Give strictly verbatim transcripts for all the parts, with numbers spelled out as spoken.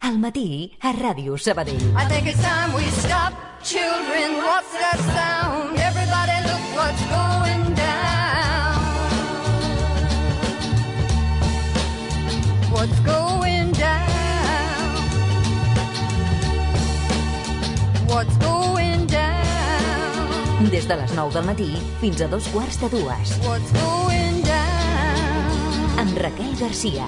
Al matí a Ràdio Sabadell. I think it's time we stop. Children, what's that sound? Everybody look what's going down. What's going down? What's going down? Des de les nou del matí fins a dos quarts de dues. What's going down? Amb Raquel Garcia.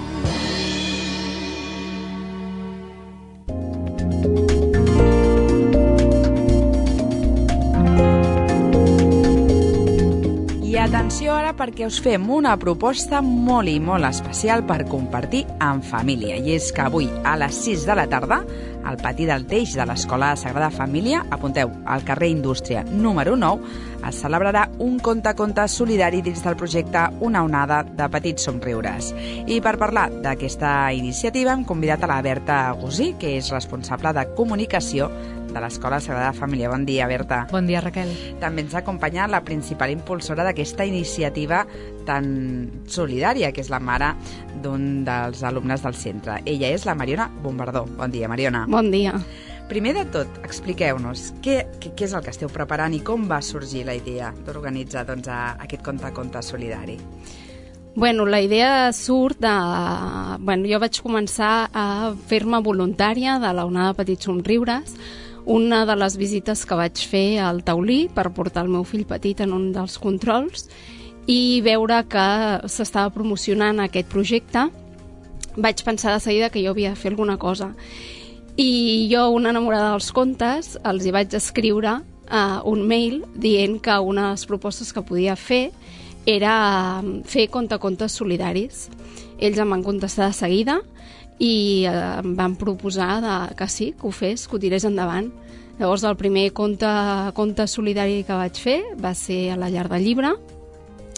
I atenció ara perquè us fem una proposta molt i molt especial per compartir en família. I és que avui a les sis de la tarda, al pati del Teix de l'Escola Sagrada Família, apunteu, al carrer Indústria número nou, es celebrarà un conte-conte solidari dins del projecte Una onada de petits somriures. I per parlar d'aquesta iniciativa hem convidat a la Berta Gusí, que és responsable de comunicació de l'Escola Sagrada Família. Bon dia, Berta. Bon dia, Raquel. També ens acompanya la principal impulsora d'aquesta iniciativa tan solidària, que és la mare d'un dels alumnes del centre. Ella és la Mariona Bombardó. Bon dia, Mariona. Bon dia. Primer de tot, expliqueu-nos què, què, què és el que esteu preparant i com va sorgir la idea d'organitzar doncs, a, aquest conte-conte solidari. Bueno, la idea surt de... Bueno, jo vaig començar a fer-me voluntària de la onada de petits somriures, una de les visites que vaig fer al Taulí per portar el meu fill petit en un dels controls i veure que s'estava promocionant aquest projecte, vaig pensar de seguida que jo havia de fer alguna cosa. I jo, una enamorada dels contes, els hi vaig escriure uh, un mail dient que una de les propostes que podia fer era fer conte-contes solidaris. Ells em van contestar de seguida i eh, em van proposar de, que sí, que ho fes, que ho tirés endavant. Llavors el primer conte, conte solidari que vaig fer va ser a la Llar del Llibre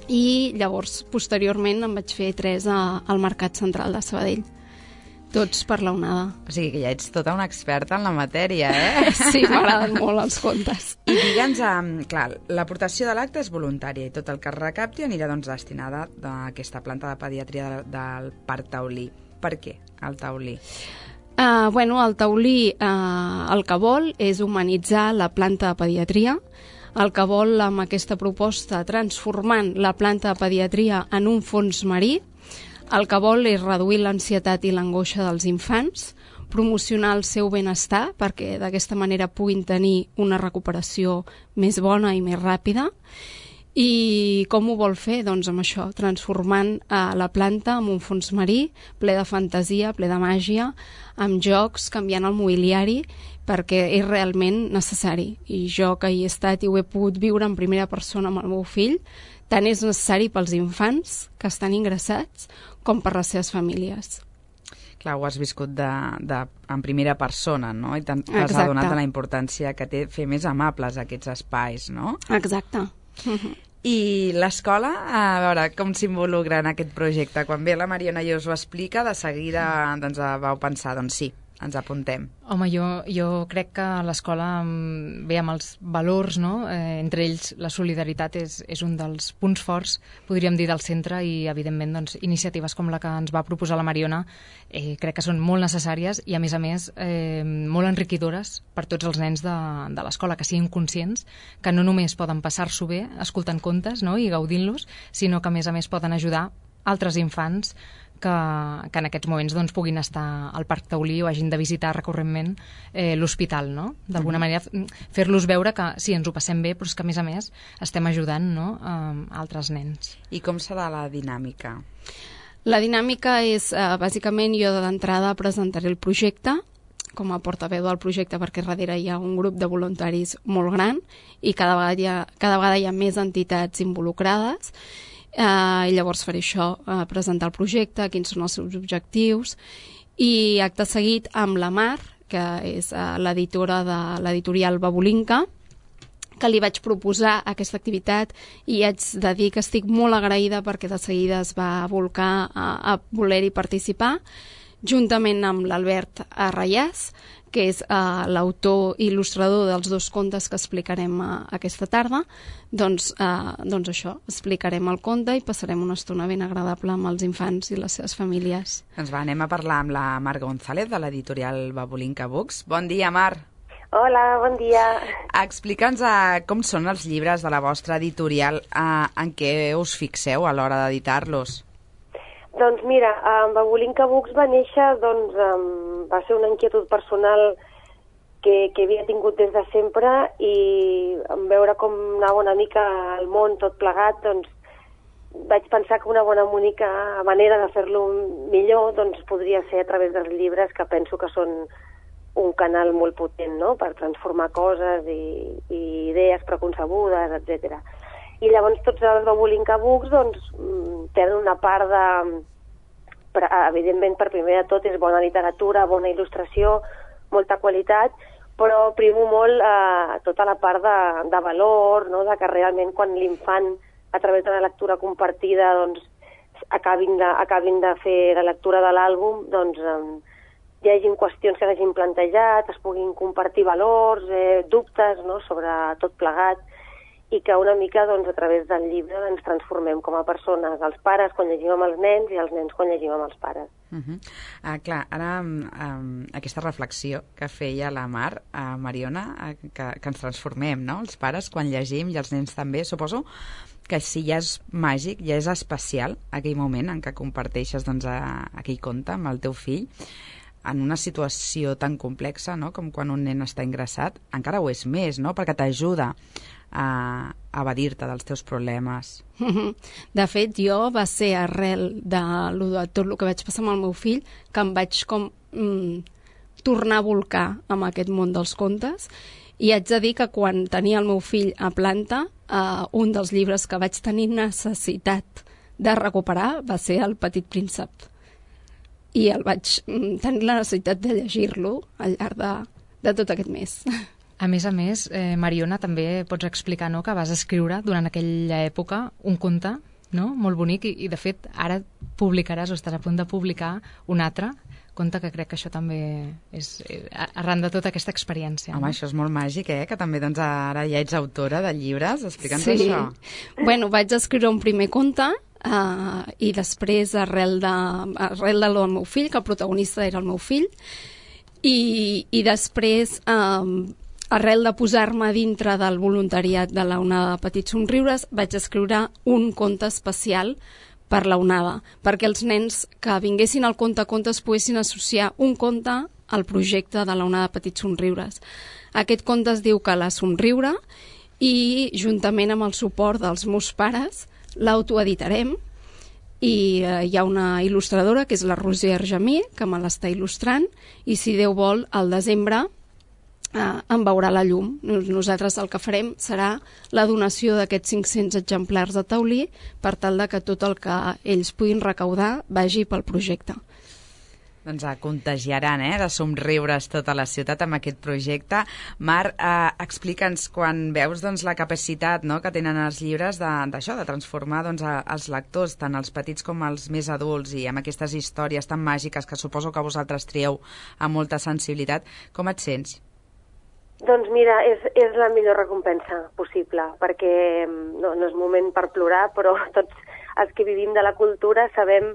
i llavors posteriorment em vaig fer tres a, al Mercat Central de Sabadell. Tots per la onada. O sigui que ja ets tota una experta en la matèria, eh? Sí, m'agraden molt els contes. I digue'ns, um, clar, l'aportació de l'acte és voluntària i tot el que es recapti anirà doncs, destinada a aquesta planta de pediatria de, del Parc Taulí. Per què el Taulí? Uh, bueno, el Taulí uh, el que vol és humanitzar la planta de pediatria, el que vol amb aquesta proposta transformant la planta de pediatria en un fons marí, el que vol és reduir l'ansietat i l'angoixa dels infants, promocionar el seu benestar perquè d'aquesta manera puguin tenir una recuperació més bona i més ràpida. I com ho vol fer? Doncs amb això, transformant eh, la planta en un fons marí ple de fantasia, ple de màgia, amb jocs, canviant el mobiliari, perquè és realment necessari. I jo que hi he estat i ho he pogut viure en primera persona amb el meu fill, tant és necessari pels infants que estan ingressats com per les seves famílies. Clar, ho has viscut de, de, en primera persona, no? I t'has adonat de la importància que té fer més amables aquests espais, no? Exacte. I l'escola, a veure, com s'involucra en aquest projecte? Quan ve la Mariona i us ho explica, de seguida doncs, vau pensar, doncs sí, ens apuntem. Home, jo, jo crec que l'escola ve amb els valors, no? Eh, entre ells la solidaritat és, és un dels punts forts, podríem dir, del centre i, evidentment, doncs, iniciatives com la que ens va proposar la Mariona eh, crec que són molt necessàries i, a més a més, eh, molt enriquidores per tots els nens de, de l'escola, que siguin conscients que no només poden passar-s'ho bé escoltant contes, no? I gaudint-los, sinó que, a més a més, poden ajudar altres infants que, que en aquests moments doncs, puguin estar al Parc Taulí o hagin de visitar recurrentment eh, l'hospital, no? D'alguna mm. manera fer-los veure que sí, ens ho passem bé, però és que a més a més estem ajudant, no? eh, altres nens. I com serà la dinàmica? La dinàmica és, eh, bàsicament, jo d'entrada presentaré el projecte com a portaveu del projecte perquè darrere hi ha un grup de voluntaris molt gran i cada vegada hi ha, cada vegada hi ha més entitats involucrades. Uh, i llavors faré això, uh, presentar el projecte, quins són els seus objectius i acte seguit amb la Mar, que és uh, l'editora de l'editorial Babolinka, que li vaig proposar aquesta activitat i haig de dir que estic molt agraïda perquè de seguida es va volcar a, a voler-hi participar. juntament amb l'Albert Arrayàs, que és uh, l'autor i il·lustrador dels dos contes que explicarem uh, aquesta tarda. Doncs, uh, doncs això, explicarem el conte i passarem una estona ben agradable amb els infants i les seves famílies. Doncs va, anem a parlar amb la Mar González, de l'editorial Babulinka Books. Bon dia, Mar. Hola, bon dia. Explica'ns uh, com són els llibres de la vostra editorial, uh, en què us fixeu a l'hora d'editar-los. Doncs mira, en Babulinka Books va néixer, doncs, um, va ser una inquietud personal que, que havia tingut des de sempre, i en veure com anava una mica al món tot plegat, doncs vaig pensar que una bona única manera de fer-lo millor doncs, podria ser a través dels llibres, que penso que són un canal molt potent, no?, per transformar coses i, i idees preconcebudes, etcètera. I llavors tots els Babulinka Books doncs, tenen una part de... Evidentment, per primer de tot, és bona literatura, bona il·lustració, molta qualitat, però primo molt eh, tota la part de, de valor, no?, de que realment quan l'infant, a través de la lectura compartida, doncs, acabin de, acabin de fer la lectura de l'àlbum, doncs eh, hi hagin qüestions que s'hagin plantejat, es puguin compartir valors, eh, dubtes, no?, sobre tot plegat, i que una mica, doncs, a través del llibre ens transformem com a persones, els pares quan llegim amb els nens i els nens quan llegim amb els pares. Uh -huh. uh, clar, ara um, aquesta reflexió que feia la Mar, uh, Mariona, uh, que, que ens transformem, no?, els pares quan llegim i els nens també, suposo que si ja és màgic, ja és especial aquell moment en què comparteixes, doncs, a, aquell conte amb el teu fill, en una situació tan complexa, no?, com quan un nen està ingressat, encara ho és més, no?, perquè t'ajuda a evadir-te dels teus problemes. De fet, jo va ser arrel de, de tot el que vaig passar amb el meu fill que em vaig com mm, tornar a volcar amb aquest món dels contes, i haig de dir que quan tenia el meu fill a planta, eh, un dels llibres que vaig tenir necessitat de recuperar va ser El petit príncep, i el vaig mm, tenir la necessitat de llegir-lo al llarg de, de tot aquest mes. A més a més, eh, Mariona, també pots explicar, no?, que vas escriure durant aquella època un conte, no?, molt bonic, i, i de fet ara publicaràs, o estàs a punt de publicar un altre conte, que crec que això també és eh, arran de tota aquesta experiència. Home, no? Això és molt màgic, eh?, que també doncs, ara ja ets autora de llibres. Explica'ns sí. això. Bueno, vaig escriure un primer conte, uh, i després, arrel de, arrel de lo del meu fill, que el protagonista era el meu fill, i, i després... Um, arrel de posar-me dintre del voluntariat de la Onada de Petits Somriures, vaig escriure un conte especial per la Onada, perquè els nens que vinguessin al Conte a Contes poguessin associar un conte al projecte de la Onada de Petits Somriures. Aquest conte es diu Que la somriure, i juntament amb el suport dels meus pares l'autoeditarem, i eh, hi ha una il·lustradora, que és la Roser Argemí, que me l'està il·lustrant, i si Déu vol, al desembre Uh, en veurà la llum. Nosaltres el que farem serà la donació d'aquests cinc-cents exemplars de taulí, per tal de que tot el que ells puguin recaudar vagi pel projecte. Doncs eh, contagiaran, eh, de somriures tota la ciutat amb aquest projecte. Mar, eh, explica'ns, quan veus doncs, la capacitat, no?, que tenen els llibres d'això, de, de transformar doncs, a, els lectors, tant els petits com els més adults, i amb aquestes històries tan màgiques que suposo que vosaltres trieu amb molta sensibilitat, com et sents? Doncs mira, és, és la millor recompensa possible, perquè no, no és moment per plorar, però tots els que vivim de la cultura sabem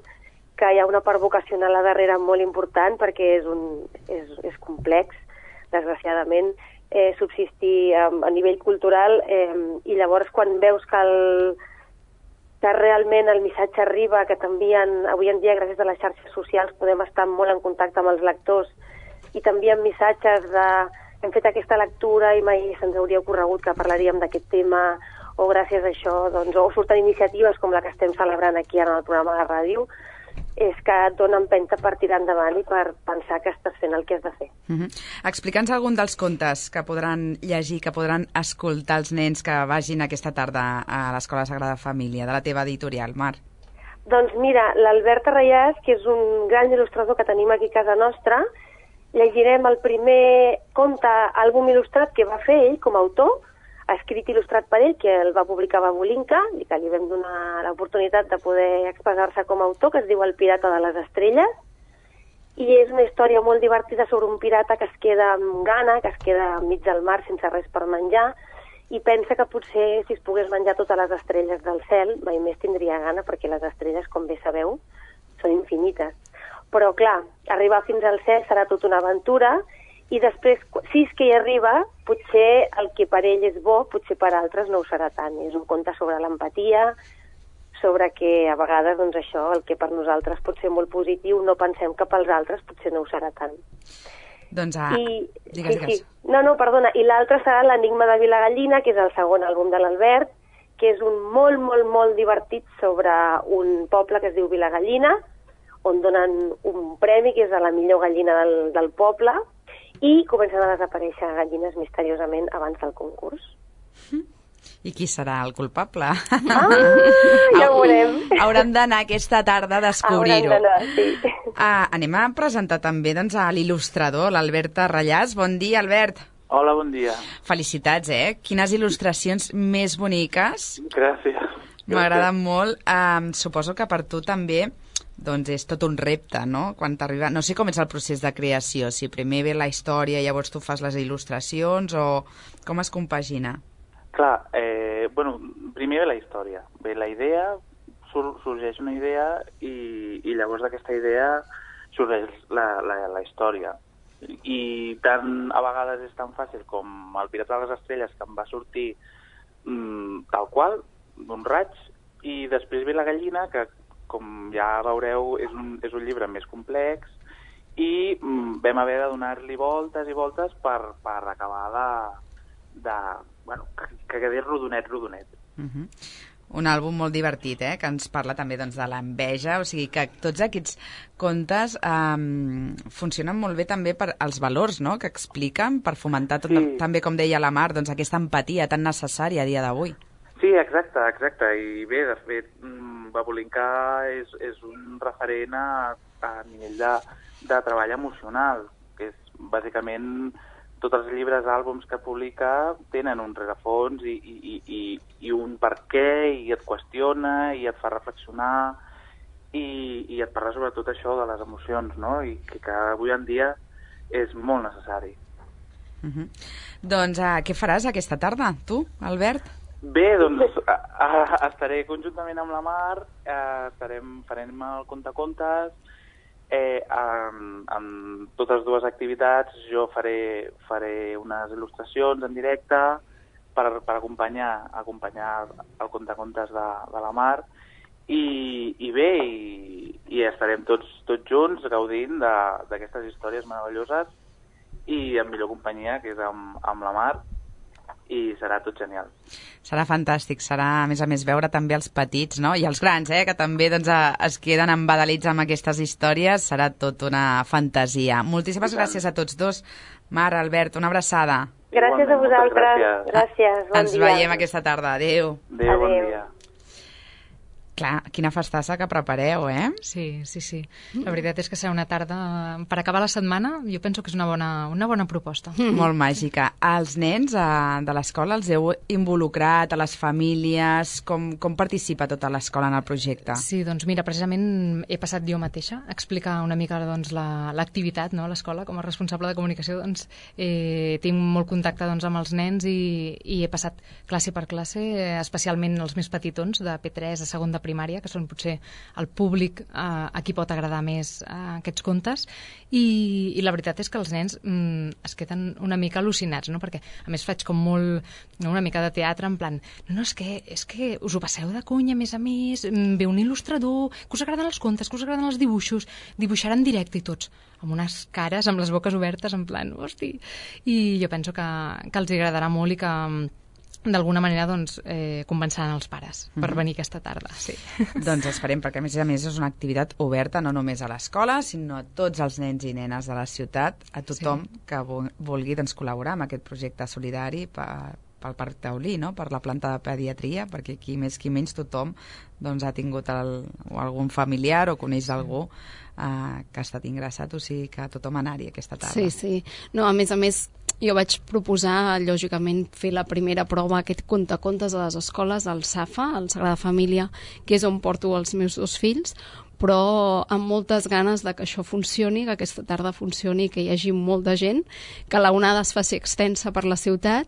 que hi ha una part vocacional a darrere molt important, perquè és, un, és, és complex, desgraciadament, eh, subsistir a, a nivell cultural, eh, i llavors quan veus que, el, que realment el missatge arriba, que t'envien, avui en dia gràcies a les xarxes socials podem estar molt en contacte amb els lectors, i t'envien missatges de hem fet aquesta lectura i mai se'ns hauria ocorregut que parlaríem d'aquest tema, o gràcies a això, doncs, o surten iniciatives com la que estem celebrant aquí en el programa de ràdio, és que et dona empenta per tirar endavant i per pensar que estàs fent el que has de fer. Uh -huh. Explica'ns algun dels contes que podran llegir, que podran escoltar els nens que vagin aquesta tarda a l'Escola Sagrada Família, de la teva editorial, Mar. Doncs mira, l'Albert Arrayàs, que és un gran il·lustrador que tenim aquí a casa nostra, llegirem el primer conte àlbum il·lustrat que va fer ell com a autor, escrit i il·lustrat per ell, que el va publicar Babulinka, i que li vam donar l'oportunitat de poder expressar-se com a autor, que es diu El pirata de les estrelles, i és una història molt divertida sobre un pirata que es queda amb gana, que es queda enmig del mar sense res per menjar, i pensa que potser si es pogués menjar totes les estrelles del cel, mai més tindria gana, perquè les estrelles, com bé sabeu, són infinites. Però, clar, arribar fins al cel serà tota una aventura, i després, si és que hi arriba, potser el que per ell és bo, potser per altres no ho serà tant. És un conte sobre l'empatia, sobre que a vegades, doncs això, el que per nosaltres pot ser molt positiu, no pensem que pels altres potser no ho serà tant. Doncs, ah, I, digues, sí, digues. Sí. No, no, perdona. I l'altre serà l'Enigma de Vilagallina, que és el segon àlbum de l'Albert, que és un molt, molt, molt divertit sobre un poble que es diu Vilagallina, on donen un premi, que és a la millor gallina del, del poble, i comencen a desaparèixer gallines misteriosament abans del concurs. I qui serà el culpable? Ah, ja ho veurem. Haurem d'anar aquesta tarda a descobrir-ho. Haurem d'anar, sí. Ah, anem a presentar també doncs, a l'il·lustrador, l'Albert Tarrallàs. Bon dia, Albert. Hola, bon dia. Felicitats, eh? Quines il·lustracions més boniques. Gràcies. M'agraden molt. Um, suposo que per tu també doncs és tot un repte, no? Quan t'arriba... No sé com és el procés de creació, si primer ve la història i llavors tu fas les il·lustracions o com es compagina? Clar, eh, bueno, primer ve la història. Ve la idea, sur sorgeix una idea i, i llavors d'aquesta idea sorgeix la, la, la història. I tant a vegades és tan fàcil com el Pirata de les Estrelles, que em va sortir mm, tal qual, d'un raig, i després ve la gallina, que com ja veureu és un, és un llibre més complex, i mm, vam haver de donar-li voltes i voltes per, per acabar de, de bueno, que, que quedés rodonet, rodonet. Uh-huh. Un àlbum molt divertit, eh? Que ens parla també doncs, de l'enveja, o sigui que tots aquests contes um, funcionen molt bé també per als valors, no?, que expliquen, per fomentar tot, sí. També, com deia la Mar, doncs, aquesta empatia tan necessària a dia d'avui. Sí, exacte, exacte, i bé, de fet, Babulinka és, és un referent a, a nivell de, de treball emocional, que és bàsicament tots els llibres, àlbums que publica tenen un rerefons i, i, i, i un per què, i et qüestiona, i et fa reflexionar, i, i et parla sobre tot això de les emocions, no?, i que, que avui en dia és molt necessari. Uh-huh. Doncs uh, què faràs aquesta tarda, tu, Albert? Bé, doncs a, a, estaré conjuntament amb la Mar, eh, estarem, farem el contacontes, eh, amb, amb totes dues activitats. Jo faré, faré unes il·lustracions en directe per, per acompanyar, acompanyar el contacontes de, de la Mar, i, i bé, i, i estarem tots, tots junts gaudint d'aquestes històries meravelloses i en millor companyia, que és amb, amb la Mar, i serà tot genial. Serà fantàstic, serà a més a més veure també els petits, no?, i els grans, eh?, que també doncs, es queden embadalits amb aquestes històries. Serà tot una fantasia. Moltíssimes gràcies a tots dos. Mar, Albert, una abraçada. Gràcies a vosaltres. Gràcies. Gràcies. Bon Ens dia. veiem aquesta tarda. Adéu. Adéu, bon dia. Clar, quina festassa que prepareu, eh? Sí, sí, sí. La veritat és que serà una tarda... Per acabar la setmana, jo penso que és una bona, una bona proposta. Mm. Molt màgica. Els nens eh, de l'escola els heu involucrat, a les famílies? Com, com participa tota l'escola en el projecte? Sí, doncs mira, precisament he passat jo mateixa a explicar una mica doncs, l'activitat, no?, a l'escola. Com a responsable de comunicació, doncs, eh, tinc molt contacte doncs, amb els nens i, i he passat classe per classe, eh, especialment els més petitons, de P tres a segon de primària, que són potser el públic eh, a qui pot agradar més eh, aquests contes, i, i la veritat és que els nens mm, es queden una mica al·lucinats, no?, perquè a més faig com molt, no, una mica de teatre, en plan, no, no, és que, és que us ho passeu de conya, a més a més, ve un il·lustrador, que us agraden els contes, que us agraden els dibuixos, dibuixar en directe i tots, amb unes cares, amb les boques obertes, en plan, hosti, i jo penso que, que els agradarà molt i que d'alguna manera doncs, eh, convençaran els pares per mm-hmm. venir aquesta tarda. Sí. Doncs esperem, perquè a més a més és una activitat oberta no només a l'escola, sinó a tots els nens i nenes de la ciutat, a tothom sí. que vulgui doncs, col·laborar amb aquest projecte solidari per, pel Parc Taulí, no? Per la planta de pediatria, perquè aquí més qui menys tothom doncs, ha tingut el, o algun familiar o coneix algú eh, que ha estat ingressat, o sigui que tothom anar-hi aquesta tarda. Sí, sí. No, a més a més, jo vaig proposar, lògicament, fer la primera prova, aquest contacontes a les escoles, al SAFA, al Sagrada Família, que és on porto els meus dos fills, però amb moltes ganes de que això funcioni, que aquesta tarda funcioni, que hi hagi molta gent, que la onada es faci extensa per la ciutat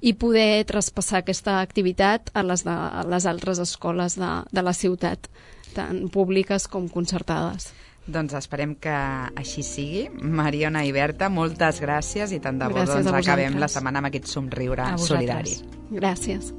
i poder traspassar aquesta activitat a les, de, a les altres escoles de, de la ciutat, tant públiques com concertades. Doncs esperem que així sigui. Mariona i Berta, moltes gràcies i tant de bo Gràcies doncs, a vosaltres. acabem la setmana amb aquest somriure solidari. Gràcies.